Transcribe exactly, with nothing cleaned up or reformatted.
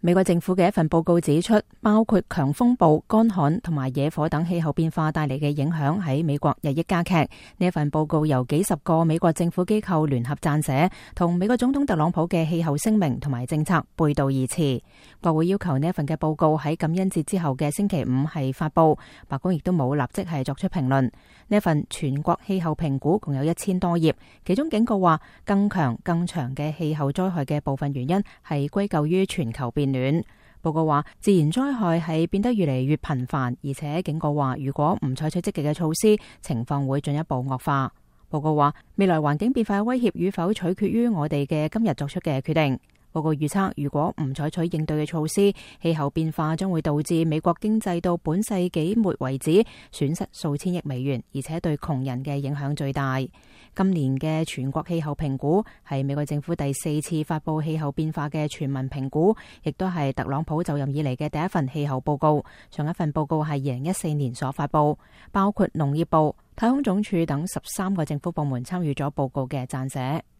美國政府嘅一份報告指出，包括強風暴、乾旱同埋野火等氣候變化帶嚟嘅影響喺美國日益加劇。呢一份報告由幾十個美國政府機構聯合撰寫，同美國總統特朗普嘅氣候聲明同埋政策背道而馳。國會要求呢一份嘅報告喺感恩節之後嘅星期五係發布，白宮亦都冇立即係作出評論。呢一份全國氣候評估共有一千多頁，其中警告話更強更長嘅氣候災害嘅部分原因係歸咎於全球變暖。報告話自然災害係變得越嚟越頻繁，而且警告話如果唔採取積極嘅措施，情況會進一步惡化。報告話未來環境變化嘅威脅與否取決於我哋嘅今日作出嘅決定。報告預測，如果唔採取應對嘅措施，氣候變化將會導致美國經濟到本世紀末為止損失數千億美元，而且對窮人嘅影響最大。今年嘅全國氣候評估係美國政府第四次發布氣候變化嘅全民評估，亦都係特朗普就任以嚟嘅第一份氣候報告。上一份報告係二零一四年所發布，包括農業部、太空總署等十三個政府部門參與咗報告嘅撰寫。